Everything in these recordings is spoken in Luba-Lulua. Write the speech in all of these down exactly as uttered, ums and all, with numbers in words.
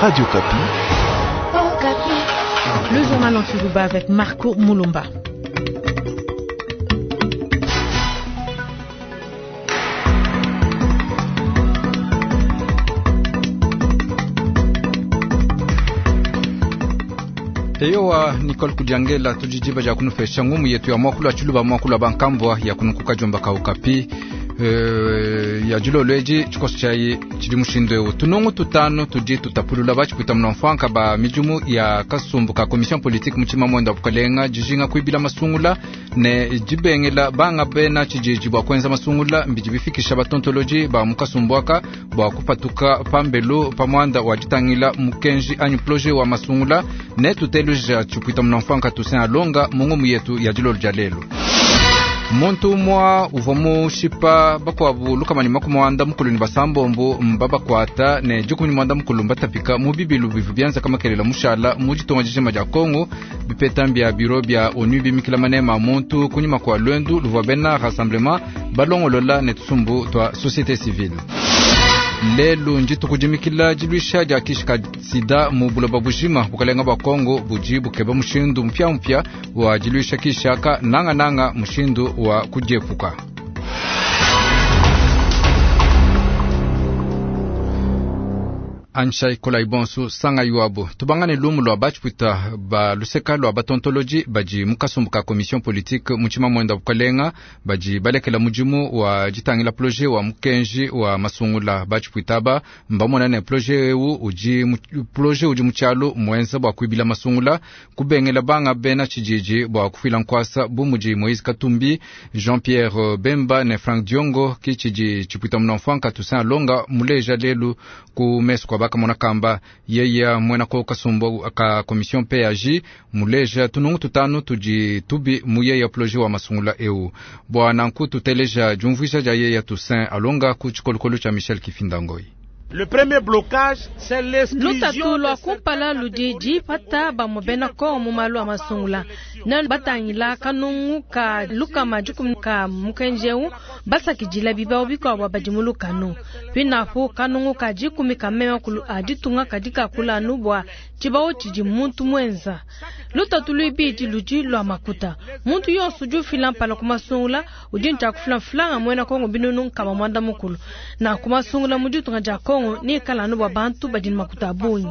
Radio Okapi. Le journal en Tshiluba avec Marco Moulumba. Eyowa Nicole Kudiangela tudidiba dia kunufesha ngumu yetu ya mwakulu wa tshiluba mwakulu wa bankambwa ya kunukuka jomba ka Okapi uh, ya dilolo edi tshikoso tshiayi tshidi mushindu eu tunungu tutanu tudi tutapulula batshipwita munamfuanka ba midimu ya kasumbu ka commission politique mutshima mwenda wa bukalenga dijinga kuibila masungula ne dibengela banga bena tshididi bua kuenza masungula mbidi bifikisha batontoloji ba mukasumbu aka bua kupatuka pambelu pa muanda wa ditangila mukenji anyi projet wa masungula ne tuteluja tshipwita munamfuanka Toussaint Alonga mu ngumu yetu ya dilolo dia lelu. Muntu umua uvua mushipa bakuabu lukama ne makumi muanda mukulu ne basambombo mbabakuata ne dikumi ne muanda mukulu mbatapika mu bibilu bivua bianza kamakelela mushala mu ditunga dijima dia Kongo bipeta mbia biro bia ONU bimikila manema a muntu kunyima kua luendu luvua bena rassemblement balongolola ne tusumbu tua société civile. Lelu ndituku dimikila diluisha dia kishi ka sida mu buloba bujima. Bukalenga bua Kongo budi bukeba mushindu mupya-mupya wa diluisha kishi aka nangananga mushindu wa kudiepuka. Anshai kolai bonsu sanga yuabu tubangane lumu lua batshipwita ba luseka lua batontoloji badi mu kasumbu ka commission politique mutshima mwenda bukalenga badi balekela mudimu wa ditangila projet wa mukenji wa masungula. Batshipwita aba mbamona ne projet eu udi projet udi mu tshialu muenza bua kuibila masungula kubengela banga bena tshididi bua kufuila nkuasa bu mudi Moïse Katumbi, Jean-Pierre Bemba ne Franck Diongo ki tshidi tshipwita munamfuanka Toussaint Alonga muleja lelu ku mesu kwa bakamona kamba yeya mwena ko kasumbu ka commission P A J muleja tunungu tutanu tudi tubi mu yeya projet wa masungula eu bwa nanku tuteleja diumvuija dia yeya Toussaint Alonga ku tshikolokolo tshia Michel Kifindangoi. Le premier blocage, c'est l'exclusion. Lutatu lua kumpala ludi dipata bamue bena Kongo mu malu a masungula ne batangila kanungu ka lukama dikumi ka mukenji eu basakidila bibawu bikuabu badi mu lukanu pinapu kanungu ka dikumi ka mema kulu a ditunga kadi kakula anu bua tshibawu tshidi muntu muenza. Lutatu luibidi ludi lua makuta. Muntu yonso udi ufila mpala ku masungula udi ntshia kufila mfulanga muena Kongo binunu nkama muanda mukulu na ku masungula mu ditunga dia Kongo ni kala anu bua bantu badi ne makuta a bungi.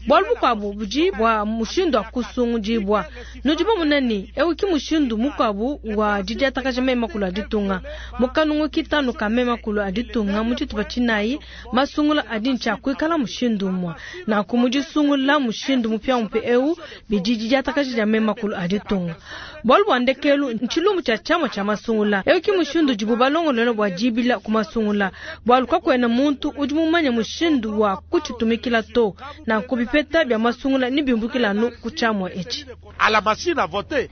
Bualu bukuabu budi bua mushindu wa kusungudibua. Nudi bamona ne eu ki mushindu mukuabu wa didiatakaja mema kulu a ditunga. Mu kanungu kitanu ka mema kulu a ditunga mu tshitupa tshinayi masungula adi ntshia kuikala mushindu umue. Nanku mu disungula mushindu mupiamupia eu bidi didiatakaja dia mema kulu a ditunga. Bualu bua ndekelu ntshilumbu tshia tshiamua tshia masungula. Eu ki mushindu udibu balongolola bua dibila ku masungula. Bualu kakuena muntu udi mumanye mushindu wa kutshitumikila to. Nanku bipeta bia masungula ni bimbukila anu ku tshiamua etshi. À la machine à voter.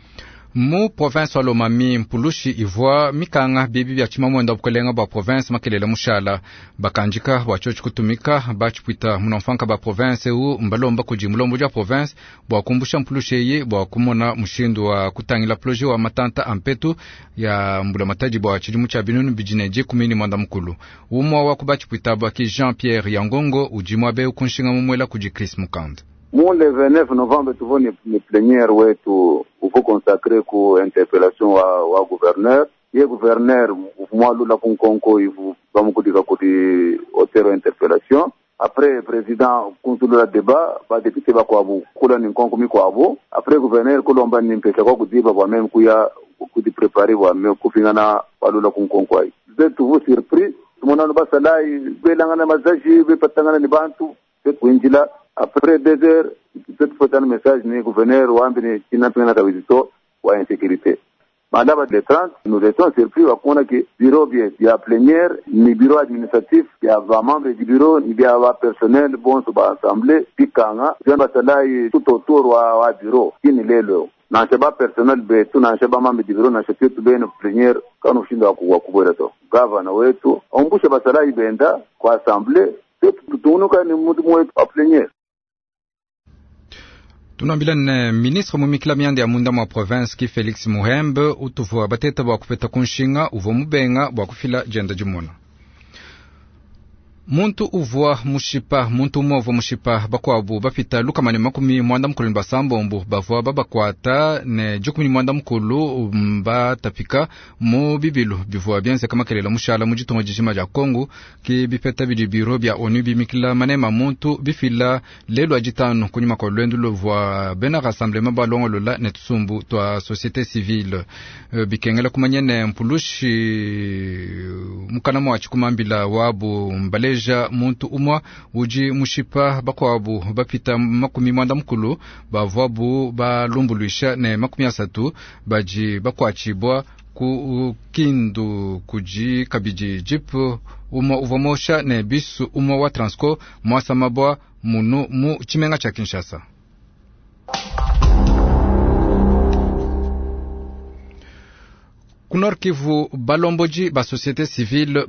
Mu province wa Lomami mpulushi ivua mikanga bibi bia tshimamwenda bukalenga bua province makelela mushala bakandika bua tshiotshi kutumika batshipwita munamfuanka ba province eu mbalomba kudi mulombo dia province bua kumbusha mpulushi eyi bua kumona mushindu wa kutangila projet wa matanta a mpetu ya mbula matadi bua tshidimu tshia binunu bidi ne dikumi ne muanda mukulu. Umua wa ku batshipwita bua ki Jean-Pierre Yangongo udi muabe kunshinga mumuela kudi Chris Mukand. Mu le vingt-neuf novembre tuvua ne, ne plénière wetu uvu consacré ku interpellation wa, wa gouverneur. Ye gouverneur mwalula ku nkonko ivu bamukudika kudi auteur interpellation. Après président kunsulula débat ba député bakuabu kula ni nkonko mikuabu. Après gouverneur kulomba ni mpesa kwa kudiba bwa meme kuya kudi préparer bwa meme kufingana walula ku nkonko ayi. Tuvu surpris tumonano basalai belangana mazaji bepatangana ni bantu kuinjila. Après deux heures, peut-être faut un message ni gouverneur wambi ni kinapingana kabizito wa insécurité. Madame le trente, nous étions surpris wa kuona ki bureau bien ya plénière ni bureau administratif ya ba membre du bureau ni bia ba personnel bonso ba assemblée pikanga bien basalai tout autour wa, wa bureau kini lelo nansha ba personnel betu nansha ba membre du bureau nansha tetu beno plénière kanu ushinda wa kubwera to gavana wetu ombusha basalai benda kwa assemblée tetu tutunuka ni mudimu wetu wa plénière. Tunambila ne ministre mumikila mianda ya munda mwa province ki Felix Muhembe utuvua bateta bua kupeta kunshinga uvua mubenga bua kufila jenda dimona. Muntu uvua mushipa muntu umwe uvua mushipa bakwabu bapita lukama ne makumi mwanda mukulu ne basambombo bavua babakwata ne dikumi ne mwanda mukulu batapika mu bibilu bivua bienzeka makelela mushala mu ditunga dijima dia Kongo ki bipeta bidi biro bia ONU bimikila manema muntu bifila lelu aditano kunyuma kwa lwendu luvua bena rassemblement balongolola ne tusumbu twa société civile bikengela kumanya ne mpulushi mukana mwa tshikumambila wabu mbaleja muntu umwa uji mushipa bakwabu bapita makumi mwanda mukulu bavwabu balumbuluisha ne makumi asatu baji bakwachibwa ku kindu kuji kabidi jip umwa uvwa mosha ne bisu umwa wa Transco mwasamabwa munu mu chimenga cha Kinshasa. Ku Nord Kivu balomboji ba société civile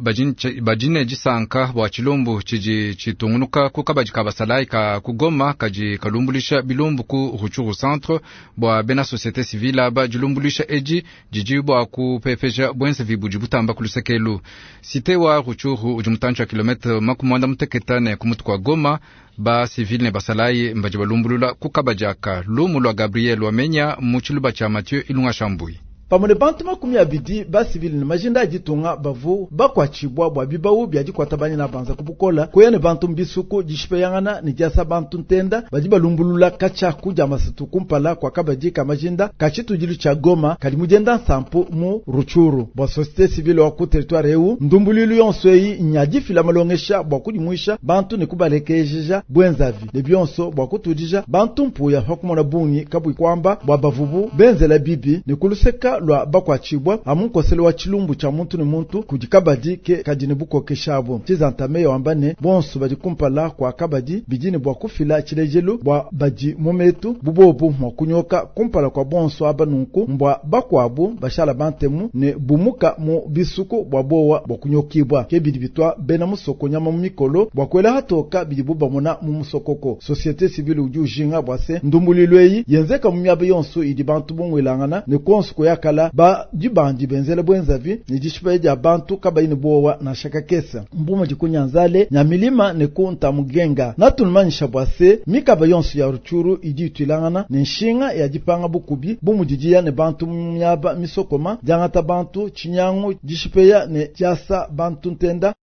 bajine disanka bua tshilumbu tshidi tshitungunuka ku kabadi ka basalayi ka kugoma kadi kalumbulisha bilumbu ku Rutshuru centre bua bena société civile aba dilumbulisha edi didi bua kupepeja bwenzevi budi butamba ku lusekelu. Cité wa Rutshuru udi mutantshi wa kilometre makumi muanda muteketa ne kumutu kwa Goma ba civile ne basalayi mbaji balumbulula ku kabadi aka. Lumu lwa Gabriel Wamenya mu tshiluba tshia Mathieu Ilunga Shambui. Pamwe bantu makumi abidi basivili ne majinda ajitunga bavu bakwachibwa bwa bibawu bya dikwata banyina banza kubukola kuya ne bantu mbisuku dishipeyangana ne diasa bantu ntenda badi balumbulula kacha kuja masitu kumpala kwa kabadi ka majinda kachitujilu cha Goma kali mujenda nsampu mu Rutshuru bwa société civile wa ku territoire eu ndumbululu yonso eyi nyadifila malongesha bwa kudimuisha bantu ne kubalekejeja bwenzavi ne byonso bwa kutudija bantu mpuya hakumona bungi kabwi kwamba bwa bavubu benzela bibi ne kuluseka lwa bakwachibwa amunkosele wa chilumbu cha muntu ne muntu kudi kabadi ke kadine bukokeshabo chizantame wambane bonso badi kumpala kwa kabadi bidine bwa kufila chilejelu bwa badi mumetu bubobu mwa kunyoka kumpala kwa bonso abanunku mbwa bakwabu bashala bantemu ne bumuka mu bisuku bwa bowa bwa kunyokibwa ke bidi bitwa bena musoko nyama mu mikolo bwa kwela hatoka bidi bubamona mu musokoko. Société civile udi ujinga bwa se ndumbulilweyi yenzeka mu miaba yonso idi bantu bungwelangana ne konso kuyaka ba dibandi benzele bwenzavi ni dishipa ya bantu kabayi bowa na shaka kesa mbuma dikunyanzale nyamilima ne kunta mugenga natunumanyisha bwase mikaba yonso ya Rutshuru idi itwilangana ne nshinga ya dipanga bukubi bumudidiya ne bantu myaba misokoma diangata bantu chinyangu dishipeya ne diasa bantu ntenda.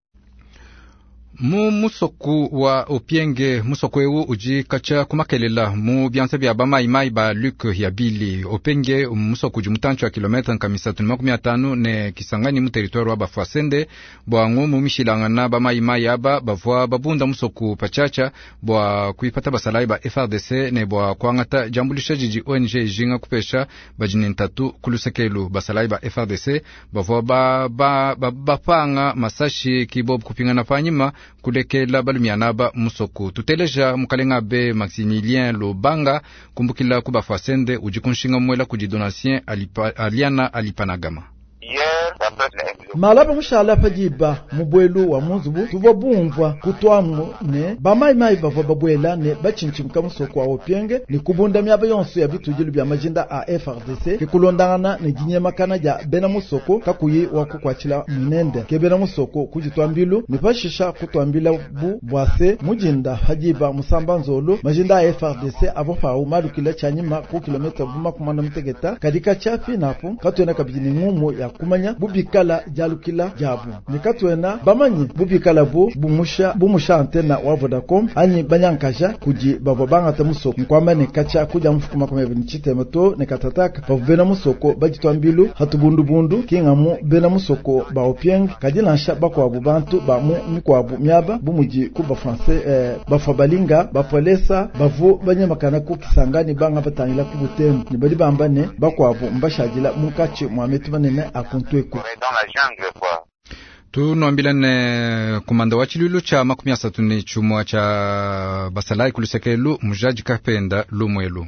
Mu musoku wa Opienge musoku ewu uji kacha kumakelela mu byanza bya bamaimai ba Luc Yabili. Opienge musoku uji mutantshi wa kilometre nkamisatu ne makumi atanu ne Kisangani mu territoire wa Bafwasende bwa ngumu mishilangana bamaimai aba bavua babunda musoku pachacha bwa kuipata basalayi ba F R D C ne bwa kuangata jambulisha jiji O N G ijinga kupesha bajini ntatu kulusekelu. Basalayi ba F R D C bavua ba, ba, ba, bapanga masashi kibob kupingana panyima kulekela balumianaba musoku. Tuteleja mukalenga be Maximilien Lobanga kumbukila kubafasende udi kunshinga mwela kudi Donatien alipa, Aliana Alipanagama. Malaba mushala padiba mubwelu wa munzubu tuvwa bumvwa kutwamu ne bamaimai bavwa babwela ne bachinchimka musoko wa Opienge ne kubunda myaba yonso ya bitujilu bya majinda a F R D C kikulondangana ne dinyemakana ja bena musoko kakuyi wa kukwachila munende ke bena musoko kujitwambilu ne pashisha kutwambila bu bwase mujinda hadiba musamba nzolo majinda a F R D C avo pau malukila chanyima ku kilomita buma kumanda mutegeta kadika chafi napo katwena kabidi ngumu ya kumanya bubikala jalukila jabu nikatwena bamanyi bubikala bu bumusha bumusha antena wa Vodacom anyi banyankaja kuji bavo bangata musoko nkwamba ne kacha kuja mfukuma kwa mebini chitema to ne katataka bavu bena musoko bajitwambilu hatubundu bundu kingamu bena musoko ba Opieng kadilansha bakwabu bantu ba mu mikwabu miaba bumuji kuba français eh, bafabalinga bapolesa bavu banyamakana ku Kisangani banga batangila ku Butembo ne bali bamba ne bakwabu mbashadila mukachi mwametu manene akuntweku. Tunuambila ne kumanda wa chilulu cha makumi asatu ne chumwa cha basalai kulusekelu mujaji kapenda lumwelu.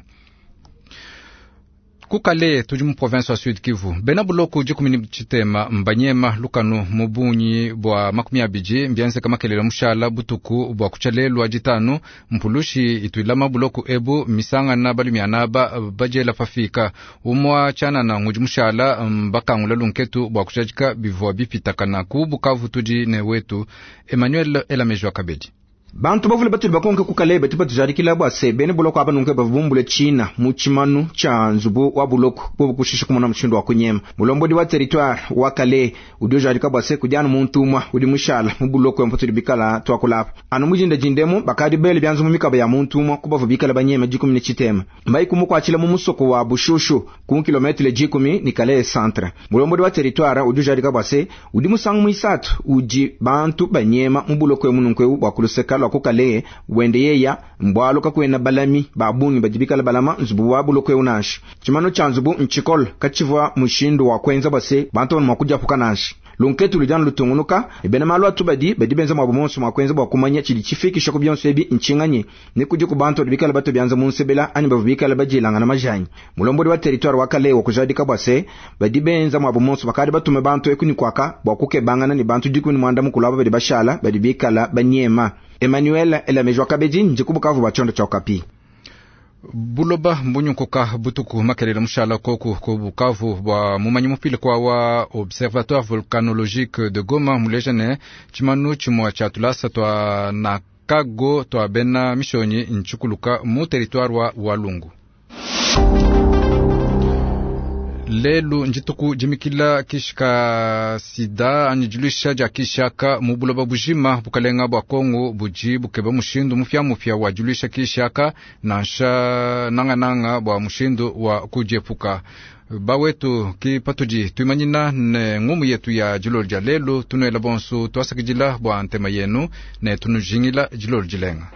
Kukale tudi mu province wa Sud Kivu bena buloko dikumi ni tshitema mbanyema lukanu mu bungi bua makumi abidi mbienzeka makelela mushala butuku bua kutshalelwa ditanu mpulushi ituilama buloko ebu misangana balumiana ba bajela pafika umwa tshanana ngudi mushala mbakangula lunketu bua kushadika bivua bipitakana ku Bukavu tudi ne wetu Emmanuel Elamejwa Kabedi. Bantu bavule batuli bakonke kukale batu batujadikila bua se bene buloko aba nunke bavumbule china mu tshimanu tsha nzubu wa buloko bobu kushisha kumona mushindu wa kunyema. Mulombodi wa territoire wa Kale udi ujadika bua se kudianu muntu umwa udi mushala mu buloko mputuli bikala twakulapa anu mujinda jindemu bakadi bele byanzu mu mikaba ya muntu umwa kubavu bikala banyema dikumi ne tshitema mbai kumukwachila mu musoko wa Bushushu ku kilometre dikumi ni Kale centre. Mulombodi wa territoire udi ujadika bua se udi musangu muisatu udi bantu banyema mu buloko mununke bua kuluseka kukale wende yeya mbwalo kakwena balami babungi badibikala balama nzubu wa buloko unasha chimano cha nzubu nchikol kachivwa mushindu wa kwenza base bantu mwa kujapuka nasha lunketu lujana lutungunuka ebena malu atubadi badi benza mwa bumonso mwa kwenza bwa kumanya chili chifikisha kubyonso ebi nchinganye ne kudi ku bantu bikala bato byanza munsebela ani bavubikala bajilangana majanyi. Mulombodi wa territoire wa Kale wa kujadika bwase badi benza mwa bumonso bakadi batume bantu ekuni kwaka bwa kukebangana ni bantu dikuni mwanda mukulu badi bashala badi bikala banyema. Emmanuel Elamejwa Kabedi njikubukavu bachondo cha Okapi. Buloba mbunyunkuka butuku makelele mushala koku ko Bukavu bwa mumanyi mupile kwa wa Observatoire Volcanologique de Goma muleja ne tshimanu tshimua tshia tulasa twa nakago twa bena mishonyi nchukuluka mu territoire wa Walungu. Lelu njituku jimikila kishika sida anyi diluisha dia kishaka mu buloba bujima bukalenga bua Kongo buji bukeba mushindu mupya mupya wa diluisha kishaka nansha nangananga bua mushindu wa kudiepuka. Bawetu ki patudi tuimanyina ne ngumu yetu ya dilolo dia lelu tunuela bonso tuasakidila bua ntema yenu ne tunujingila dilolo dilenga.